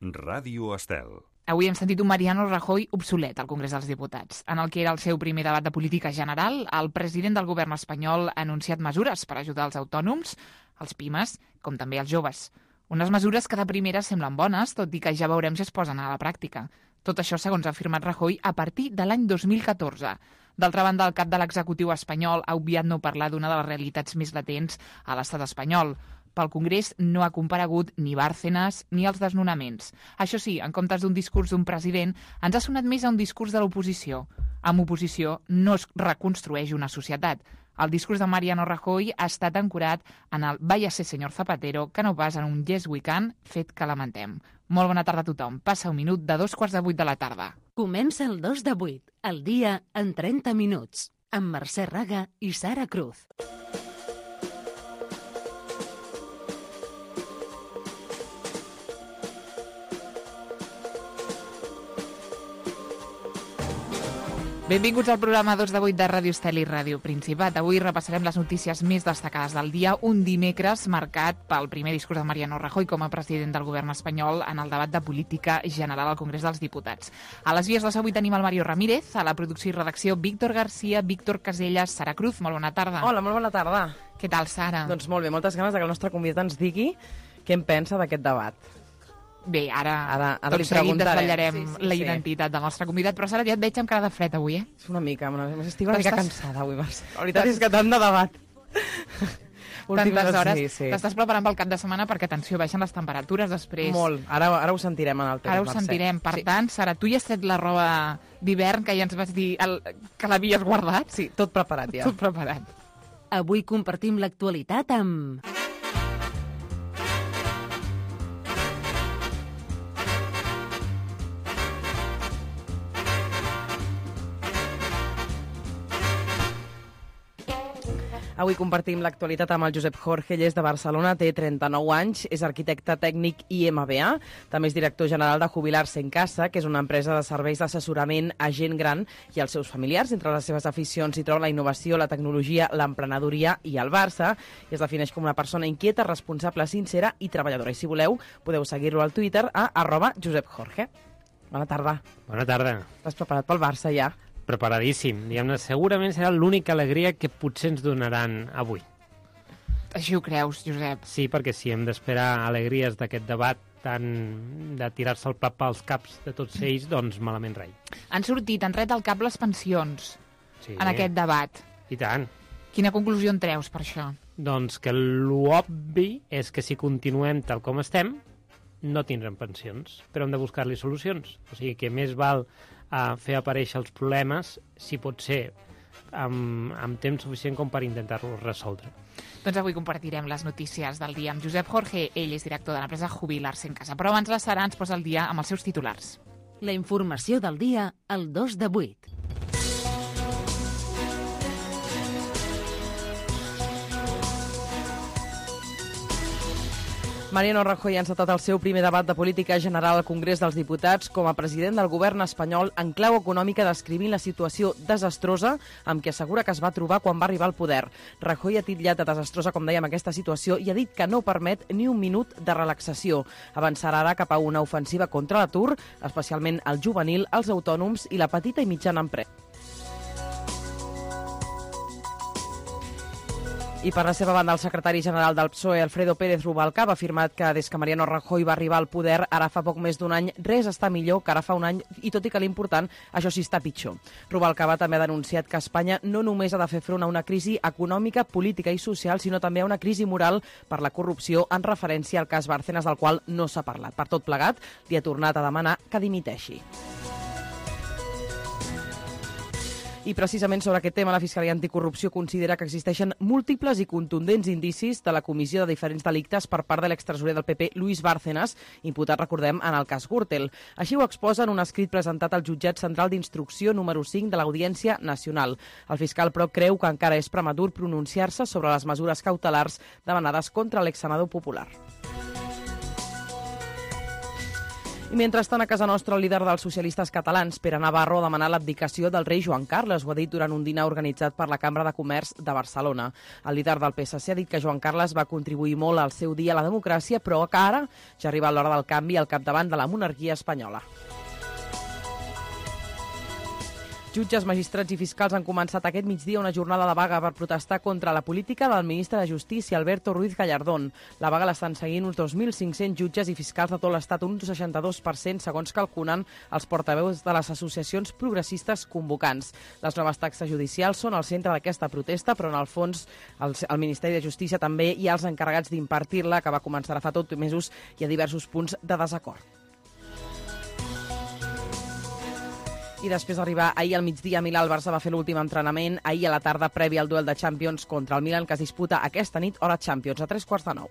Ràdio Estel. Avui hem sentit un Mariano Rajoy obsolet al Congrés dels Diputats. En el que era el seu primer debat de política general, el president del govern espanyol ha anunciat mesures per ajudar els autònoms, els pimes, com també els joves. Unes mesures que de primera semblen bones, tot i que ja veurem si es posen a la pràctica. Tot això, segons ha afirmat Rajoy, a partir de l'any 2014. D'altra banda, el cap de l'executiu espanyol ha obviat no parlar d'una de les realitats més latents a l'estat espanyol. Pel Congrés no ha comparegut ni Bárcenas ni els desnonaments. Això sí, en comptes d'un discurs d'un president, ens ha sonat més a un discurs de l'oposició. Amb oposició no es reconstrueix una societat. El discurs de Mariano Rajoy ha estat ancorat en el «Váyase, señor Zapatero», que no pas en un «Yes, we can», fet que lamentem. Molt bona tarda a tothom. Passa un minut de 7:45 de la tarda. Comença el 2 de 8, el dia en 30 minuts, amb Mercè Raga i Sara Cruz. Benvinguts al programa 2 de 8 de Ràdio Estel i Ràdio Principat. Avui repassarem les notícies més destacades del dia, un dimecres marcat pel primer discurs de Mariano Rajoy com a president del govern espanyol en el debat de política general al Congrés dels Diputats. A les vies de avui tenim el Mario Ramírez, a la producció i redacció Víctor Garcia, Víctor Casellas, Sara Cruz. Molt bona tarda. Hola, molt bona tarda. Què tal, Sara? Doncs molt bé, moltes ganes que el nostre convidat ens digui què en pensa d'aquest debat. Bé, ara li tot seguit preguntarem. desvetllarem la identitat del nostre convidat, però Sara, ja et veig amb cara de fred avui, És una mica, estic una mica cansada avui, Mercè. La veritat és que tant de debat. Tantes hores. Sí. T'estàs preparant pel cap de setmana perquè, atenció, baixen les temperatures després. Molt. Ara ho sentirem en el temps, Ara ho Mercè. sentirem. Per tant, Sara, tu ja has tret la roba d'hivern que ja ens vas dir que l'havies guardat? Sí, tot preparat ja. Tot preparat. Avui compartim l'actualitat amb... Avui compartim l'actualitat amb el Josep Jorge, ell és de Barcelona, té 39 anys, és arquitecte tècnic i MBA, també és director general de Jubilar-se en Casa, que és una empresa de serveis d'assessorament a gent gran i als seus familiars. Entre les seves aficions hi troba la innovació, la tecnologia, l'emprenedoria i el Barça, i es defineix com una persona inquieta, responsable, sincera i treballadora. I si voleu, podeu seguir-lo al Twitter a @JosepJorge. Bona tarda. Bona tarda. Estàs preparat pel Barça ja? Preparadíssim. Diguem-ne, segurament serà l'única alegria que potser ens donaran avui. Així ho creus, Josep? Sí, perquè si hem d'esperar alegries d'aquest debat tant de tirar-se el plat pels caps de tots ells, doncs malament rai. Han tret al cap les pensions Sí. en aquest debat. I tant. Quina conclusió en treus per això? Doncs que l'obvi és que si continuem tal com estem, no tindrem pensions, però hem de buscar-li solucions. O sigui que més val fer aparèixer els problemes, si pot ser amb temps suficient com per intentar-los resoldre. Doncs avui compartirem les notícies del dia amb Josep Jorge. Ell és director de l'empresa Jubilar-se en Casa. Però abans la Sara ens posa el dia amb els seus titulars. La informació del dia al 2 de 8. Mariano Rajoy ha encetat el seu primer debat de política general al Congrés dels Diputats com a president del govern espanyol en clau econòmica, descrivint la situació desastrosa amb què assegura que es va trobar quan va arribar al poder. Rajoy ha titllat de desastrosa, com dèiem, aquesta situació i ha dit que no permet ni un minut de relaxació. Avançarà ara cap a una ofensiva contra l'atur, especialment el juvenil, els autònoms i la petita i mitjana empresa. I per la seva banda, el secretari general del PSOE, Alfredo Pérez Rubalcaba, ha afirmat que des que Mariano Rajoy va arribar al poder, ara fa poc més d'un any, res està millor que ara fa un any, i tot i que l'important, això sí està pitjor. Rubalcaba també ha denunciat que Espanya no només ha de fer front a una crisi econòmica, política i social, sinó també a una crisi moral per la corrupció, en referència al cas Bárcenas, del qual no s'ha parlat. Per tot plegat, li ha tornat a demanar que dimiteixi. I precisament sobre aquest tema, la Fiscalia Anticorrupció considera que existeixen múltiples i contundents indicis de la comissió de diferents delictes per part de l'extresorer del PP, Luis Bárcenas, imputat, recordem, en el cas Gürtel. Així ho exposa en un escrit presentat al Jutjat Central d'Instrucció número 5 de l'Audiència Nacional. El fiscal, però, creu que encara és prematur pronunciar-se sobre les mesures cautelars demanades contra l'exsenador popular. I mentrestant, a casa nostra, el líder dels socialistes catalans, Pere Navarro, ha demanat l'abdicació del rei Joan Carles. Ho ha dit durant un dinar organitzat per la Cambra de Comerç de Barcelona. El líder del PSC ha dit que Joan Carles va contribuir molt al seu dia a la democràcia, però que ara ja ha arribat l'hora del canvi al capdavant de la monarquia espanyola. Jutges, magistrats i fiscals han començat aquest migdia una jornada de vaga per protestar contra la política del ministre de Justícia, Alberto Ruiz Gallardón. La vaga l'estan seguint uns 2.500 jutges i fiscals de tot l'Estat, un 62%, segons calculen els portaveus de les associacions progressistes convocants. Les noves taxes judicials són al centre d'aquesta protesta, però en el fons el Ministeri de Justícia també hi ha els encarregats d'impartir-la, que va començar fa tot mesos, i a diversos punts de desacord. I després d'arribar ahir al migdia a Milà, el Barça va fer l'últim entrenament ahir a la tarda previ al duel de Champions contra el Milan, que es disputa aquesta nit, hora Champions, a 8:45.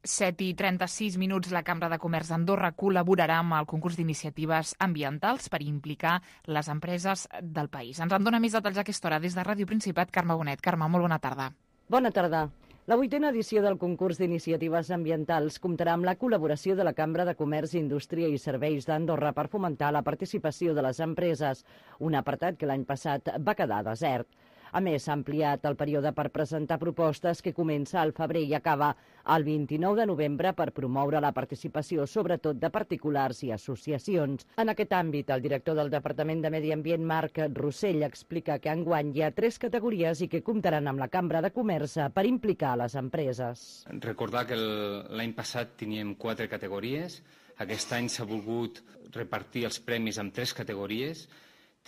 7:36, la Cambra de Comerç d'Andorra col·laborarà amb el concurs d'iniciatives ambientals per implicar les empreses del país. Ens en dona més detalls a aquesta hora des de Ràdio Principat, Carme Bonet. Carme, molt bona tarda. Bona tarda. La 8ª edició del concurs d'iniciatives ambientals comptarà amb la col·laboració de la Cambra de Comerç, Indústria i Serveis d'Andorra per fomentar la participació de les empreses, un apartat que l'any passat va quedar desert. A més, s'ha ampliat el període per presentar propostes, que comença al febrer i acaba el 29 de novembre, per promoure la participació, sobretot de particulars i associacions. En aquest àmbit, el director del Departament de Medi Ambient, Marc Rossell, explica que enguany hi ha 3 categories i que comptaran amb la Cambra de Comerç per implicar les empreses. Recordar que l'any passat teníem 4 categories. Aquest any s'ha volgut repartir els premis en 3 categories.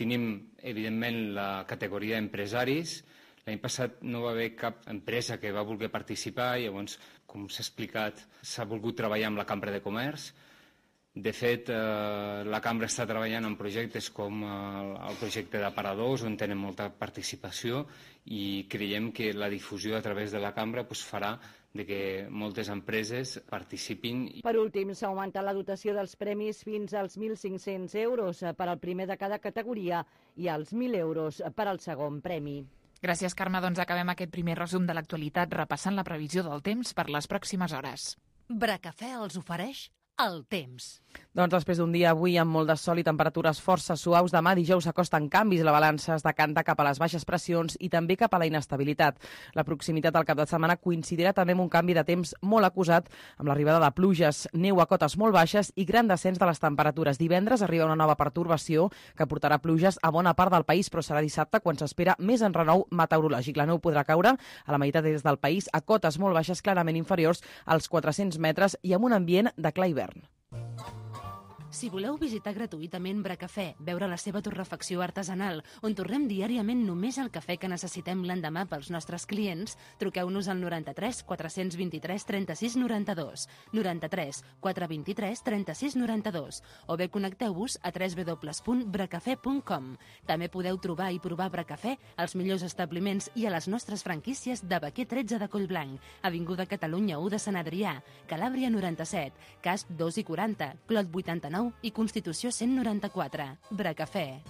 Tenim, evidentment, la categoria d'empresaris. L'any passat no va haver cap empresa que va voler participar i llavors, com s'ha explicat, s'ha volgut treballar amb la Cambra de Comerç. De fet, la Cambra està treballant en projectes com el projecte d'aparadors, on tenen molta participació, i creiem que la difusió a través de la Cambra farà de que moltes empreses participin. Per últim, s'ha augmentat la dotació dels premis fins als 1.500 euros per al primer de cada categoria i als 1.000 euros per al segon premi. Gràcies, Carme. Doncs acabem aquest primer resum de l'actualitat repassant la previsió del temps per les pròximes hores. Bracafè els ofereix el temps. Doncs després d'un dia avui amb molt de sol i temperatures força suaus, demà dijous s'acosten canvis, la balança es decanta cap a les baixes pressions i també cap a la inestabilitat. La proximitat del cap de setmana coincidirà també amb un canvi de temps molt acusat, amb l'arribada de pluges, neu a cotes molt baixes i gran descens de les temperatures. Divendres arriba una nova pertorbació que portarà pluges a bona part del país, però serà dissabte quan s'espera més enrenou meteorològic. La neu podrà caure a la meitat des del país a cotes molt baixes, clarament inferiors als 400 metres i amb un ambient de clar hivern. Si voleu visitar gratuïtament Bracafè, veure la seva torrefacció artesanal, on torrem diàriament només el cafè que necessitem l'endemà pels nostres clients, truqueu-nos al 93 423 36 92, 93 423 36 92, o bé connecteu-vos a www.bracafè.com. També podeu trobar i provar Bracafè als millors establiments i a les nostres franquícies de Baquer 13 de Collblanc, Avinguda Catalunya 1 de Sant Adrià, Calàbria 97, Casp 2 i 40, Clot 89 i Constitució 194. Bracafè.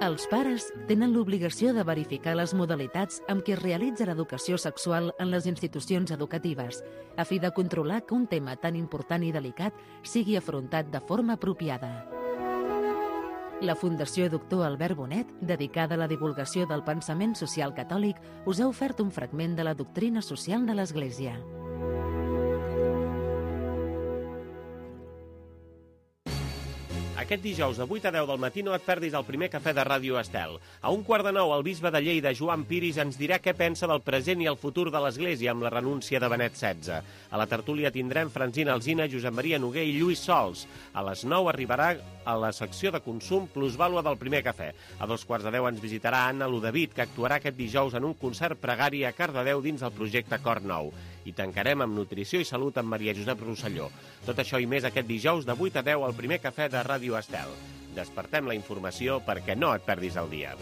Els pares tenen l'obligació de verificar les modalitats amb què es realitza l'educació sexual en les institucions educatives, a fi de controlar que un tema tan important i delicat sigui afrontat de forma apropiada. La Fundació Doctor Albert Bonet, dedicada a la divulgació del pensament social catòlic, us ha ofert un fragment de la doctrina social de l'Església. Aquest dijous de 8 a 10 del matí no et perdis el primer cafè de Ràdio Estel. A 8:45 el bisbe de Lleida, Joan Piris, ens dirà què pensa del present i el futur de l'Església amb la renúncia de Benet XVI. A la tertúlia tindrem Francina Alsina, Josep Maria Noguer i Lluís Sols. A les 9 arribarà a la secció de consum plusvàlua del primer cafè. A 2:15 ens visitarà Anna Ludavid, que actuarà aquest dijous en un concert pregari a Cardedeu dins el projecte Cor Nou. I tancarem amb nutrició i salut amb Maria Josep Rosselló. Tot això i més aquest dijous de 8 a 10 al primer cafè de Ràdio Estel. Despertem la informació perquè no et perdis el dia.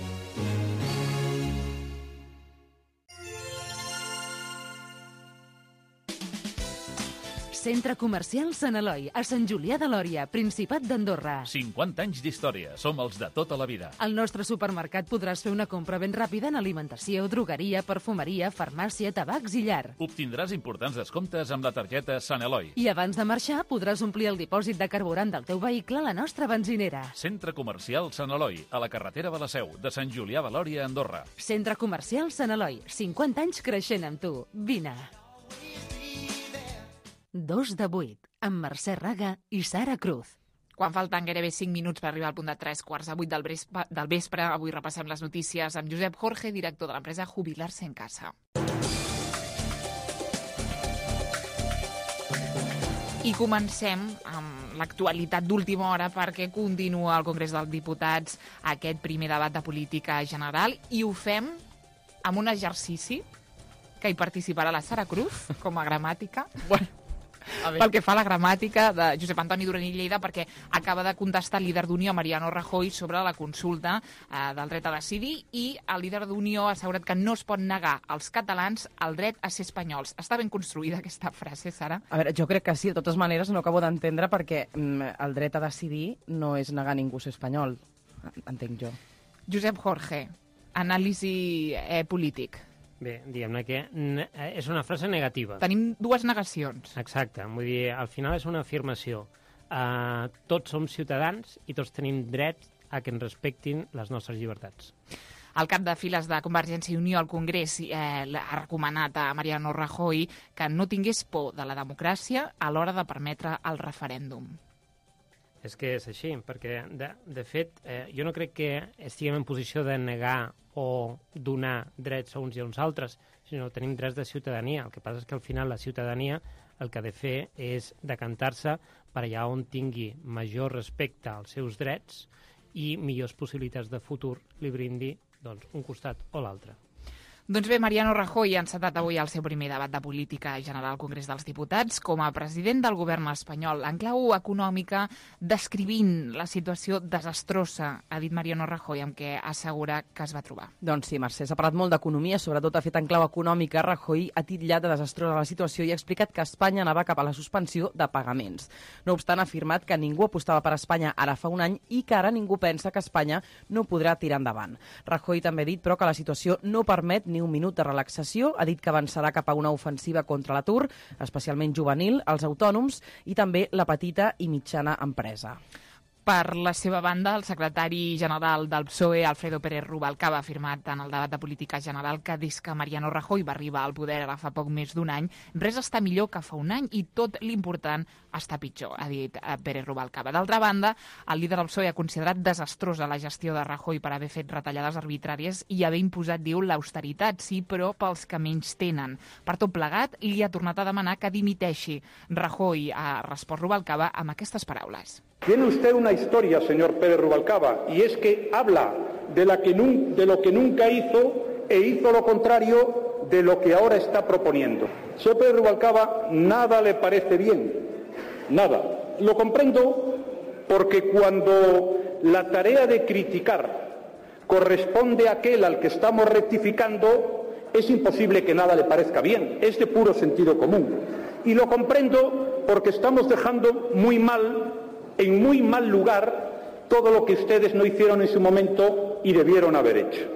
Centre Comercial Sant Eloi, a Sant Julià de Lòria, Principat d'Andorra. 50 anys d'història. Som els de tota la vida. Al nostre supermercat podràs fer una compra ben ràpida en alimentació, drogueria, perfumeria, farmàcia, tabacs i llar. Obtindràs importants descomptes amb la targeta Sant Eloi. I abans de marxar podràs omplir el dipòsit de carburant del teu vehicle a la nostra benzinera. Centre Comercial Sant Eloi, a la carretera de la Seu, de Sant Julià de Lòria, Andorra. Centre Comercial Sant Eloi, 50 anys creixent amb tu. Vine. 2 de 8, amb Mercè Raga i Sara Cruz. Quan falten gairebé 5 minuts per arribar al punt de 7:45 del vespre, avui repassem les notícies amb Josep Jorge, director de l'empresa Jubilar-se en Casa. I comencem amb l'actualitat d'última hora perquè continua al Congrés dels Diputats aquest primer debat de política general i ho fem amb un exercici que hi participarà la Sara Cruz com a gramàtica. Bueno, pel que fa a la gramàtica de Josep Antoni Duran i Lleida, perquè acaba de contestar el líder d'Unió, Mariano Rajoy, sobre la consulta del dret a decidir, i el líder d'Unió ha assegurat que no es pot negar als catalans el dret a ser espanyols. Està ben construïda aquesta frase, Sara? A veure, jo crec que sí, de totes maneres no acabo d'entendre perquè el dret a decidir no és negar a ningú ser espanyol, entenc jo. Josep Jorge, anàlisi polític. Bé, diguem-ne que és una frase negativa. Tenim dues negacions. Exacte, vull dir, al final és una afirmació. Tots som ciutadans i tots tenim dret a que ens respectin les nostres llibertats. El cap de files de Convergència i Unió al Congrés ha recomanat a Mariano Rajoy que no tingués por de la democràcia a l'hora de permetre el referèndum. És que és així, perquè, de fet, jo no crec que estiguem en posició de negar o donar drets a uns i a uns altres, sinó que tenim drets de ciutadania. El que passa és que al final la ciutadania el que ha de fer és decantar-se per allà on tingui major respecte als seus drets i millors possibilitats de futur li brindi doncs, un costat o l'altre. Doncs bé, Mariano Rajoy ha encetat avui el seu primer debat de política general al Congrés dels Diputats com a president del govern espanyol. En clau econòmica, descrivint la situació desastrosa, ha dit Mariano Rajoy, amb què assegura que es va trobar. Doncs sí, Mercè, s'ha parlat molt d'economia, sobretot ha fet en clau econòmica. Rajoy ha titllat de desastrosa la situació i ha explicat que Espanya anava cap a la suspensió de pagaments. No obstant, ha afirmat que ningú apostava per Espanya ara fa un any i que ara ningú pensa que Espanya no podrà tirar endavant. Rajoy també ha dit, però, que la situació no permet ni un minut de relaxació. Ha dit que avançarà cap a una ofensiva contra l'atur, especialment juvenil, els autònoms i també la petita i mitjana empresa. Per la seva banda, el secretari general del PSOE, Alfredo Pérez Rubalcaba, ha afirmat en el debat de política general que des que Mariano Rajoy va arribar al poder ara fa poc més d'un any, res està millor que fa un any i tot l'important està pitjor, ha dit Pérez Rubalcaba. D'altra banda, el líder del PSOE ha considerat desastrosa la gestió de Rajoy per haver fet retallades arbitràries i haver imposat, diu, l'austeritat, sí, però pels que menys tenen. Per tot plegat, li ha tornat a demanar que dimiteixi. Rajoy ha respost Rubalcaba amb aquestes paraules. Tiene usted una historia, señor Pérez Rubalcaba, y es que habla de lo que nunca hizo e hizo lo contrario de lo que ahora está proponiendo. Señor Pérez Rubalcaba, nada le parece bien, nada. Lo comprendo porque cuando la tarea de criticar corresponde a aquel al que estamos rectificando, es imposible que nada le parezca bien, es de puro sentido común. Y lo comprendo porque estamos dejando en muy mal lugar todo lo que ustedes no hicieron en su momento y debieron haber hecho.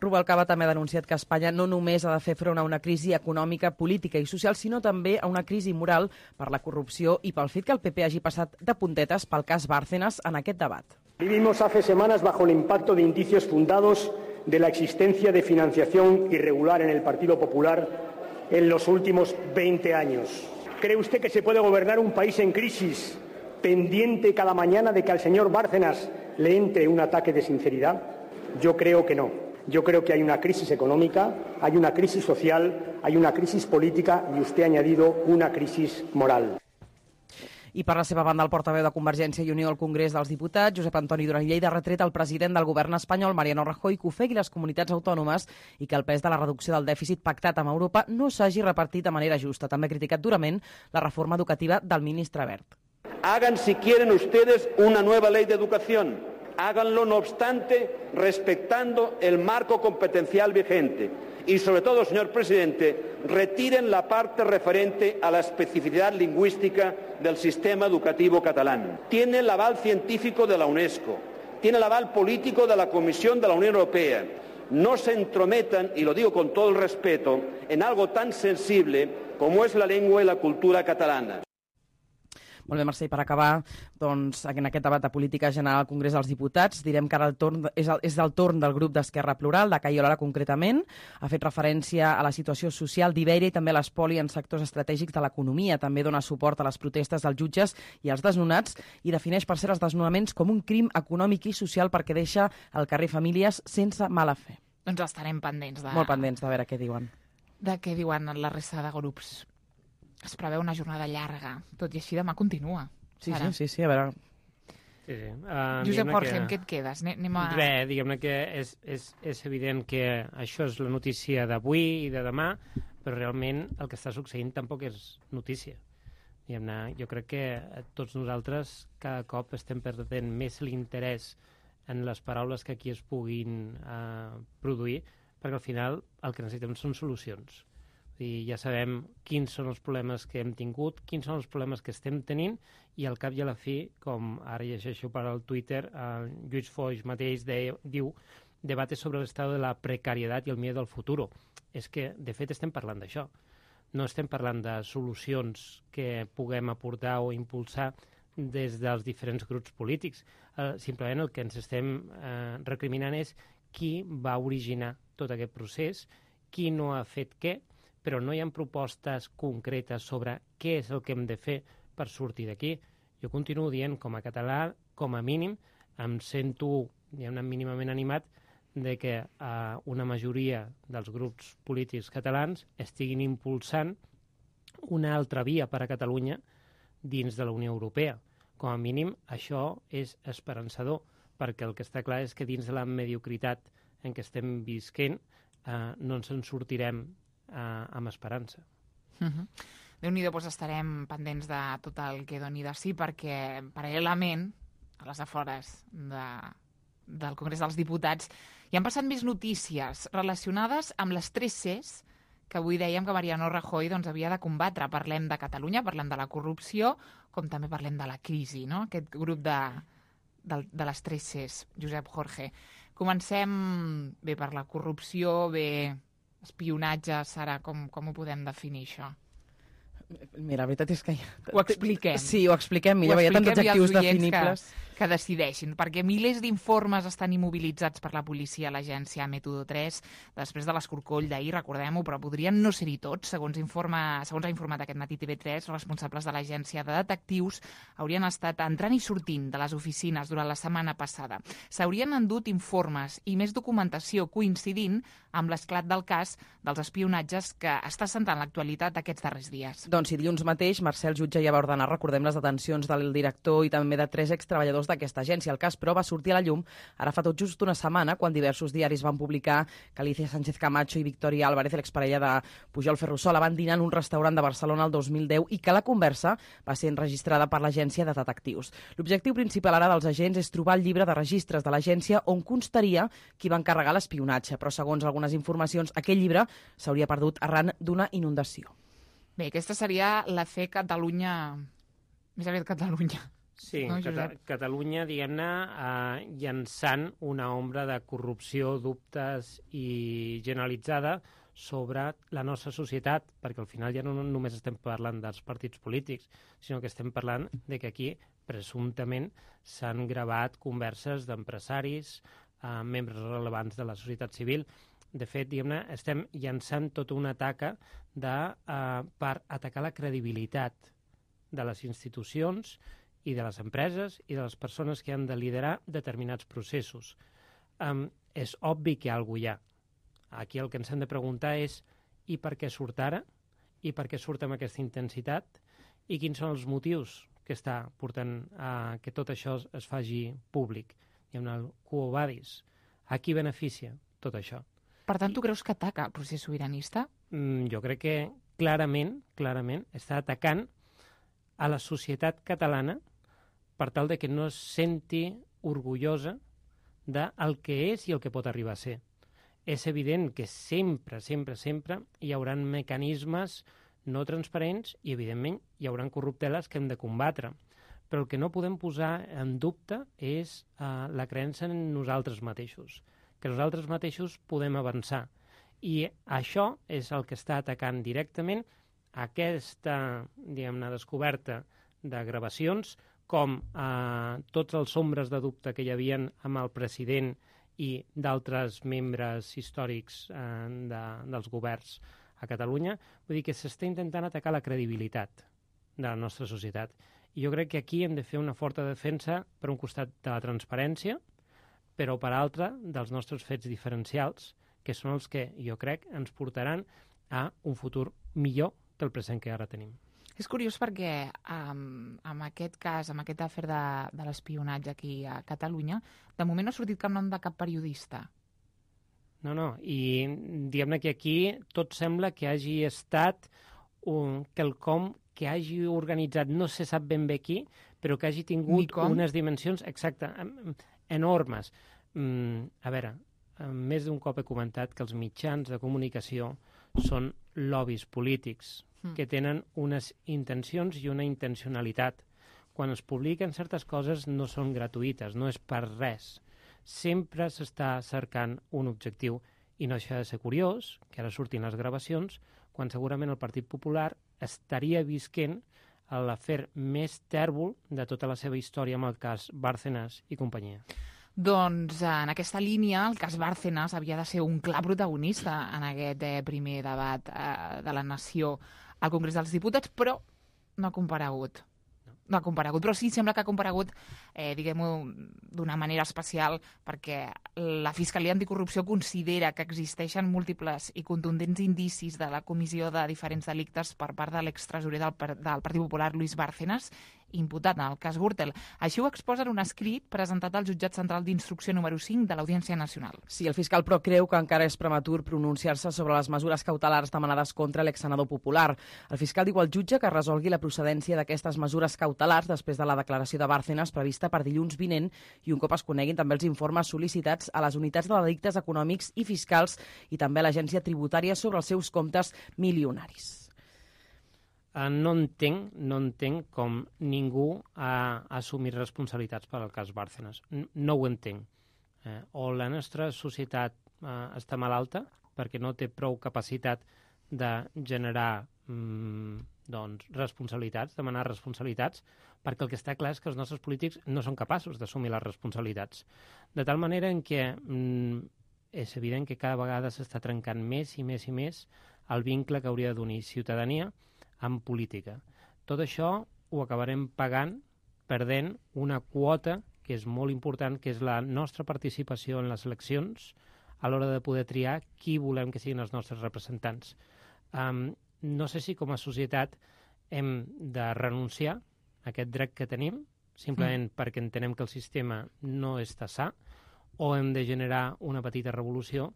Rubalcaba també ha denunciat que Espanya no només ha de fer front a una crisi econòmica, política i social, sinó també a una crisi moral per la corrupció i pel fet que el PP hagi passat de puntetes pel cas Bárcenas en aquest debat. Vivimos hace semanas bajo el impacto de indicios fundados de la existencia de financiación irregular en el Partido Popular en los últimos 20 años. ¿Cree usted que se puede gobernar un país en crisis pendiente cada mañana de que al señor Bárcenas le entre un ataque de sinceridad? Yo creo que no. Yo creo que hay una crisis económica, hay una crisis social, hay una crisis política y usted ha añadido una crisis moral. I per la seva banda, el portaveu de Convergència i Unió al Congrés dels Diputats, Josep Antoni Duran i Lleida, ha retret al president del govern espanyol, Mariano Rajoy, que ofegui les comunitats autònomes i que el pes de la reducció del dèficit pactat amb Europa no s'hagi repartit de manera justa. També ha criticat durament la reforma educativa del ministre Wert. Hagan, si quieren ustedes, una nueva ley de educación. Háganlo, no obstante, respetando el marco competencial vigente Y sobre todo, señor presidente, retiren la parte referente a la especificidad lingüística del sistema educativo catalán. Tiene el aval científico de la UNESCO, tiene el aval político de la Comisión de la Unión Europea. No se entrometan, y lo digo con todo el respeto, en algo tan sensible como es la lengua y la cultura catalana. Molt bé, Mercè, per acabar, doncs, en aquest debat de política general al Congrés dels Diputats, direm que ara és el torn del grup d'Esquerra Plural, de Cayo Lara concretament. Ha fet referència a la situació social d'Ibèria i també a l'espoli en sectors estratègics de l'economia. També dona suport a les protestes dels jutges i als desnonats i defineix per ser els desnonaments com un crim econòmic i social perquè deixa al carrer famílies sense mala fe. Doncs estarem pendents de... Molt pendents de veure què diuen. De què diuen la resta de grups. Es preveu una jornada llarga, tot i així demà continua. Sí, a veure... Sí. Josep Jorge, amb què et quedes? Res, diguem-ne que és evident que això és la notícia d'avui i de demà, però realment el que està succeint tampoc és notícia. Diguem-ne, jo crec que tots nosaltres cada cop estem perdent més l'interès en les paraules que aquí es puguin produir, perquè al final el que necessitem són solucions. I ja sabem quins són els problemes que hem tingut, quins són els problemes que estem tenint, i al cap i a la fi, com ara llegeixo per al Twitter, Lluís Foix mateix diu «Debate sobre l'estat de la precarietat i el miedo al futuro». És que, de fet, estem parlant d'això. No estem parlant de solucions que puguem aportar o impulsar des dels diferents grups polítics. Simplement el que ens estem recriminant és qui va originar tot aquest procés, qui no ha fet què, però no hi ha propostes concretes sobre què és el que hem de fer per sortir d'aquí. Jo continuo dient, com a català, com a mínim, em sento mínimament animat de que una majoria dels grups polítics catalans estiguin impulsant una altra via per a Catalunya dins de la Unió Europea. Com a mínim, això és esperançador, perquè el que està clar és que dins de la mediocritat en què estem visquent no ens en sortirem amb esperança. Déu-n'hi-do, doncs estarem pendents de tot el que doni de sí, perquè paral·lelament, a les afores del Congrés dels Diputats, hi han passat més notícies relacionades amb les 3 Cs que avui dèiem que Mariano Rajoy havia de combatre. Parlem de Catalunya, parlem de la corrupció, com també parlem de la crisi, no? Aquest grup de les 3 Cs, Josep Jorge. Comencem bé per la corrupció, bé espionatge, Sara, com ho podem definir, això? Mira, la veritat és que... Ho expliquem. Sí, ho expliquem millor, hi ha tants adjectius definibles. Que decideixin, perquè milers d'informes estan immobilitzats per la policia a l'agència Método 3 després de l'escorcoll d'ahir, recordem-ho, però podrien no ser-hi tots. Segons ha informat aquest matí TV3, responsables de l'agència de detectius haurien estat entrant i sortint de les oficines durant la setmana passada. S'haurien endut informes i més documentació coincidint amb l'esclat del cas dels espionatges que està centrant l'actualitat aquests darrers dies. Doncs si dilluns mateix Marcel Jutge ja va ordenar, recordem, les detencions del director i també de 3 extreballadors d'aquesta agència. El cas, però, va sortir a la llum ara fa tot just una setmana, quan diversos diaris van publicar que Alicia Sánchez Camacho i Victoria Álvarez, l'exparella de Pujol Ferrusola, van dinar en un restaurant de Barcelona el 2010 i que la conversa va ser enregistrada per l'agència de detectius. L'objectiu principal ara dels agents és trobar el llibre de registres de l'agència on constaria qui va encarregar l'espionatge, però segons algunes informacions, aquell llibre s'hauria perdut arran d'una inundació. Bé, aquesta seria la fe Catalunya, més aviat Catalunya. Sí, no, Catalunya, diguem-ne, llançant una ombra de corrupció, dubtes i generalitzada sobre la nostra societat, perquè al final ja no només estem parlant dels partits polítics, sinó que estem parlant de que aquí, presumptament, s'han gravat converses d'empresaris, membres rellevants de la societat civil. De fet, diguem-ne, estem llançant tota una taca per atacar la credibilitat de les institucions i de les empreses i de les persones que han de liderar determinats processos. És obvi que alguna cosa hi ha. Aquí el que ens hem de preguntar és i per què surt ara? I per què surt amb aquesta intensitat? I quins són els motius que està portant a que tot això es faci públic? Hi ha el quo vadis. A qui beneficia tot això? Per tant, tu creus que ataca el procés sobiranista? Jo crec que clarament està atacant a la societat catalana per tal de que no es senti orgullosa del que és i el que pot arribar a ser. és evident que sempre hi haurà mecanismes no transparents i, evidentment, hi haurà corrupteles que hem de combatre. Però el que no podem posar en dubte és la creença en nosaltres mateixos, que nosaltres mateixos podem avançar. I això és el que està atacant directament aquesta, diguem-ne, descoberta de gravacions, com tots els ombres de dubte que hi havia amb el president i d'altres membres històrics dels governs a Catalunya. Vull dir que s'està intentant atacar la credibilitat de la nostra societat. I jo crec que aquí hem de fer una forta defensa, per un costat, de la transparència, però per altre, dels nostres fets diferencials, que són els que, jo crec, ens portaran a un futur millor que el present que ara tenim. És curiós perquè amb aquest cas, amb aquest afer de l'espionatge aquí a Catalunya, de moment no ha sortit cap nom de cap periodista. No, i diguem-ne que aquí tot sembla que hagi estat quelcom que hagi organitzat, no se sap ben bé qui, però que hagi tingut unes dimensions enormes. A veure, més d'un cop he comentat que els mitjans de comunicació són lobbies polítics que tenen unes intencions i una intencionalitat. Quan es publiquen certes coses no són gratuïtes, no és per res. Sempre s'està cercant un objectiu i no deixa de ser curiós que ara surtin les gravacions quan segurament el Partit Popular estaria visquent l'afer més tèrbol de tota la seva història amb el cas Bárcenas i companyia. Doncs en aquesta línia el cas Bárcenas havia de ser un clar protagonista en aquest primer debat de la nació al Congrés dels Diputats, però no ha comparegut. No ha comparegut, però sí sembla que ha comparegut, diguem-ho, d'una manera especial, perquè la Fiscalia Anticorrupció considera que existeixen múltiples i contundents indicis de la comissió de diferents delictes per part de l'extresorer del Partit Popular, Luis Bárcenas, imputat en el cas Gürtel. Així ho exposa en un escrit presentat al Jutjat Central d'Instrucció número 5 de l'Audiència Nacional. Sí, el fiscal però creu que encara és prematur pronunciar-se sobre les mesures cautelars demanades contra l'exsenador popular. El fiscal diu al jutge que resolgui la procedència d'aquestes mesures cautelars després de la declaració de Bárcenas prevista per dilluns vinent i un cop es coneguin també els informes sol·licitats a les unitats de delictes econòmics i fiscals i també a l'agència tributària sobre els seus comptes milionaris. No entenc com ningú ha assumit responsabilitats per al cas Bárcenas. No ho entenc. O la nostra societat està malalta perquè no té prou capacitat de generar responsabilitats, demanar responsabilitats, perquè el que està clar és que els nostres polítics no són capaços d'assumir les responsabilitats. De tal manera en què és evident que cada vegada s'està trencant més i més i més el vincle que hauria d'unir ciutadania en política. Tot això ho acabarem pagant, perdent una quota que és molt important, que és la nostra participació en les eleccions a l'hora de poder triar qui volem que siguin els nostres representants. No sé si com a societat hem de renunciar a aquest dret que tenim, simplement perquè entenem que el sistema no està sa, o hem de generar una petita revolució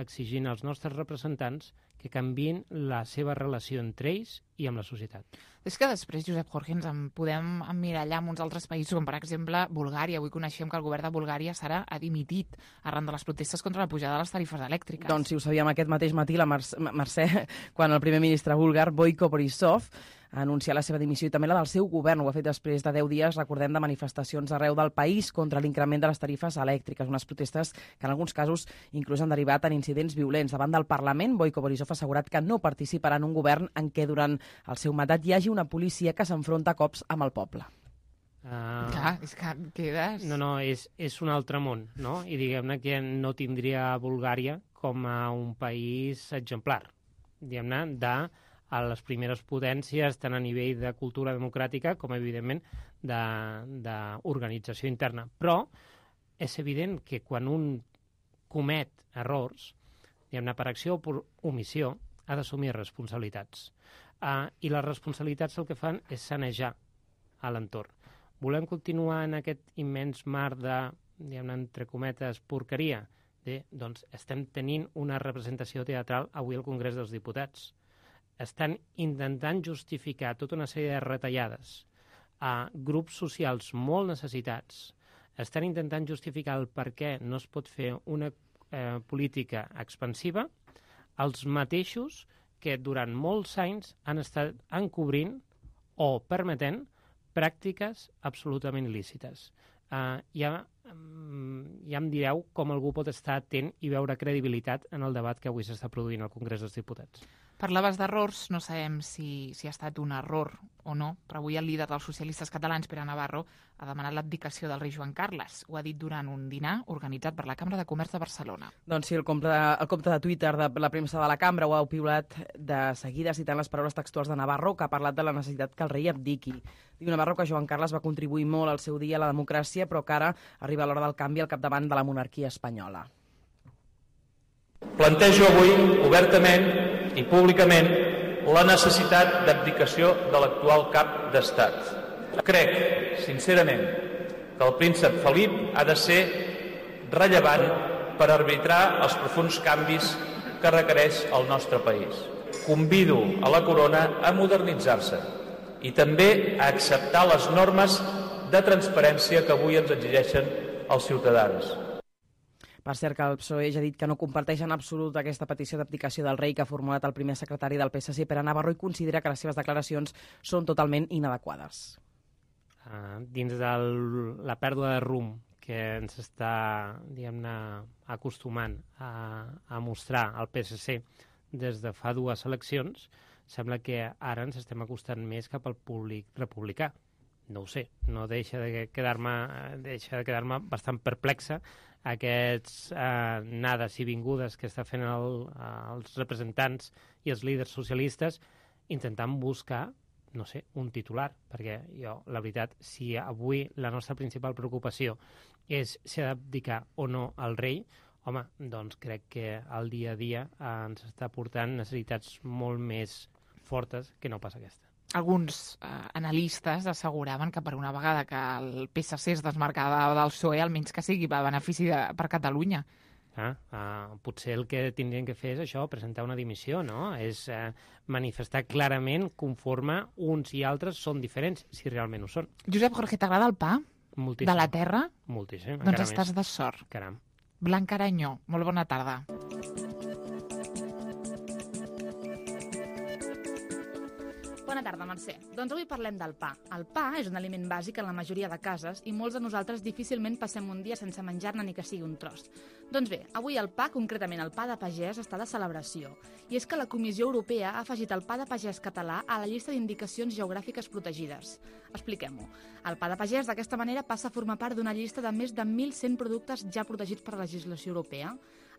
exigint als nostres representants que canviïn la seva relació entre ells i amb la societat. És que després, Josep Jorge, ens en podem emmirallar amb uns altres països, com per exemple Bulgària. Avui coneixem que el govern de Bulgària ha dimitit arran de les protestes contra la pujada de les tarifes elèctriques. Doncs si ho sabíem aquest mateix matí, la Mercè, quan el primer ministre búlgar, Boyko Borisov, ha anunciat la seva dimissió i també la del seu govern. Ho ha fet després de 10 dies, recordem, de manifestacions arreu del país contra l'increment de les tarifes elèctriques, unes protestes que en alguns casos inclús han derivat en incidents violents. Davant del Parlament, Boyko Borisov ha assegurat que no participarà en un govern en què durant el seu mandat hi hagi una policia que s'enfronta a cops amb el poble. Clar, és que quedes... No, és un altre món, no? I diguem-ne que no tindria Bulgària com a un país exemplar, diguem-ne, a les primeres potències, tant a nivell de cultura democràtica com, evidentment, d'organització interna. Però és evident que quan un comet errors, diguem-ne, per acció o per omissió, ha d'assumir responsabilitats. I les responsabilitats el que fan és sanejar a l'entorn. Volem continuar en aquest immens mar de, diguem-ne, entre cometes, porqueria? Doncs estem tenint una representació teatral avui al Congrés dels Diputats. Estan intentant justificar tota una sèrie de retallades a grups socials molt necessitats. Estan intentant justificar el per què no es pot fer una política expansiva, els mateixos que durant molts anys han estat encobrint o permetent pràctiques absolutament il·lícites. Ja em direu com algú pot estar atent i veure credibilitat en el debat que avui s'està produint al Congrés dels Diputats. Parlaves d'errors, no sabem si ha estat un error o no, però avui el líder dels socialistes catalans, Pere Navarro, ha demanat l'abdicació del rei Joan Carles. Ho ha dit durant un dinar organitzat per la Cambra de Comerç de Barcelona. Doncs sí, el compte de Twitter de la premsa de la Cambra ho ha piulat de seguida citant les paraules textuals de Navarro, que ha parlat de la necessitat que el rei abdiqui. Diu Navarro que Joan Carles va contribuir molt al seu dia a la democràcia, però que ara arriba l'hora del canvi al capdavant de la monarquia espanyola. Plantejo avui, obertament i públicament, la necessitat d'abdicació de l'actual cap d'Estat. Crec, sincerament, que el príncep Felip ha de ser rellevant per arbitrar els profunds canvis que requereix el nostre país. Convido a la corona a modernitzar-se i també a acceptar les normes de transparència que avui ens exigeixen els ciutadans. Per cert, que el PSOE ja ha dit que no comparteix en absolut aquesta petició d'abdicació del rei que ha formulat el primer secretari del PSC, Pere Navarro, i considera que les seves declaracions són totalment inadequades. Dins de la pèrdua de rumb que ens està, diguem-ne, acostumant a mostrar el PSC des de fa 2 eleccions, sembla que ara ens estem acostant més cap al públic republicà. No ho sé, no deixa de quedar-me bastant perplexa aquests anades i vingudes que està fent els representants i els líders socialistes intentant buscar, no sé, un titular, perquè jo, la veritat, si avui la nostra principal preocupació és si ha d'abdicar o no al rei, home, doncs crec que el dia a dia ens està portant necessitats molt més fortes que no pas aquesta. Alguns analistes asseguraven que per una vegada que el PSC es desmarcava del PSOE, almenys que sigui a benefici per Catalunya. Potser el que tindrien que fer és això, presentar una dimissió, no? És manifestar clarament conforme uns i altres són diferents, si realment ho són. Josep Jorge, t'agrada el pa? Moltíssim. De la terra? Moltíssim. Doncs estàs de sort. Caram. Blanca Aranyó, molt bona tarda. Bona tarda, Mercè. Doncs avui parlem del pa. El pa és un aliment bàsic en la majoria de cases i molts de nosaltres difícilment passem un dia sense menjar-ne ni que sigui un tros. Doncs bé, avui el pa, concretament el pa de pagès, està de celebració. I és que la Comissió Europea ha afegit el pa de pagès català a la llista d'indicacions geogràfiques protegides. Expliquem-ho. El pa de pagès, d'aquesta manera, passa a formar part d'una llista de més de 1.100 productes ja protegits per la legislació europea.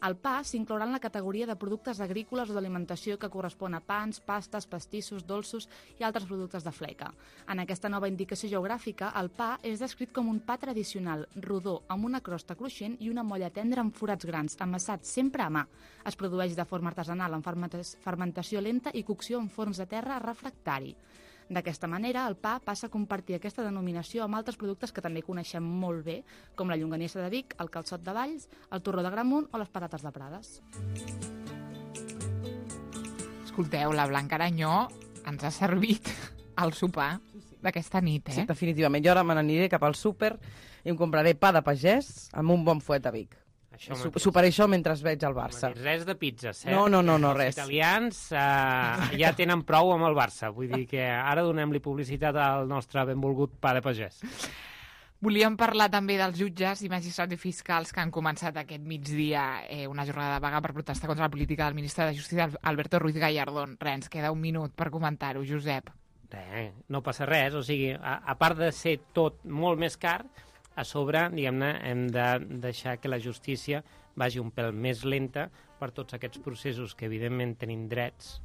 El pa s'inclourà en la categoria de productes agrícoles o d'alimentació que correspon a pans, pastes, pastissos, dolços i altres productes de fleca. En aquesta nova indicació geogràfica, el pa és descrit com un pa tradicional, rodó, amb una crosta cruixent i una molla tendra amb forats grans, amassat sempre a mà. Es produeix de forma artesanal en fermentació lenta i cocció en forns de terra refractari. D'aquesta manera, el pa passa a compartir aquesta denominació amb altres productes que també coneixem molt bé, com la llonganissa de Vic, el calçot de Valls, el torró de Gramunt o les patates de Prades. Escolteu, la Blanca Aranyó ens ha servit el sopar d'aquesta nit, Sí, definitivament. Jo ara me n'aniré cap al súper i em compraré pa de pagès amb un bon fuet a Vic. Superé això mentre veig el Barça. Res de pizzas, No, res. Els italians ja tenen prou amb el Barça. Vull dir que ara donem-li publicitat al nostre benvolgut pa de pagès. Volíem parlar també dels jutges i magistrats i fiscals que han començat aquest migdia una jornada de vaga per protestar contra la política del ministre de Justícia, Alberto Ruiz Gallardón. Ens queda un minut per comentar-ho, Josep. No passa res, o sigui, a part de ser tot molt més car, a sobre, diguem-ne, hem de deixar que la justícia vagi un pèl més lenta per tots aquests processos que, evidentment, tenim drets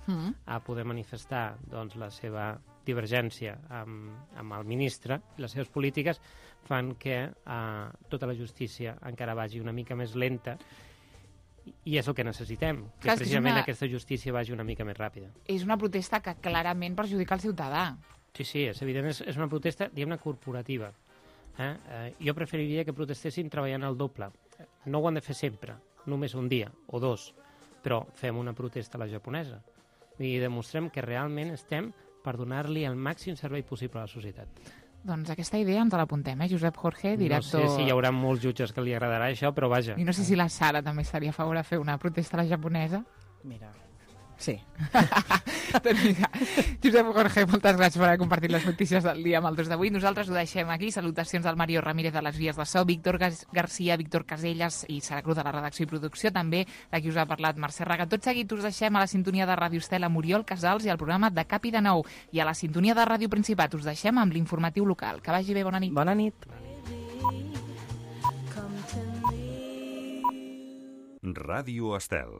a poder manifestar doncs, la seva divergència amb el ministre i les seves polítiques, fan que tota la justícia encara vagi una mica més lenta i és el que necessitem, que precisament aquesta justícia vagi una mica més ràpida. És una protesta que clarament perjudica el ciutadà. Sí, és evident, és una protesta, diguem-ne, corporativa. Jo preferiria que protestessin treballant el doble. No ho han de fer sempre, només un dia o 2, però fem una protesta a la japonesa i demostrem que realment estem per donar-li el màxim servei possible a la societat. Doncs aquesta idea ens l'apuntem, Josep Jorge, director... No sé si hi haurà molts jutges que li agradarà això, però vaja. I no sé si la Sara també estaria a favor de fer una protesta a la japonesa. Mira, sí. Doncs mira, Josep Jorge, moltes gràcies per haver compartit les notícies del dia amb el 2 d'avui. Nosaltres ho deixem aquí. Salutacions al Mario Ramírez de les vies de so, Víctor Garcia, Víctor Casellas i Sara Cruz de la redacció i producció, també de qui us ha parlat Mercè Raga. Tot seguit us deixem a la sintonia de Ràdio Estel amb Oriol Casals i al programa de Cap i de Nou. I a la sintonia de Ràdio Principat us deixem amb l'informatiu local. Que vagi bé, bona nit. Bona nit. Ràdio Estel.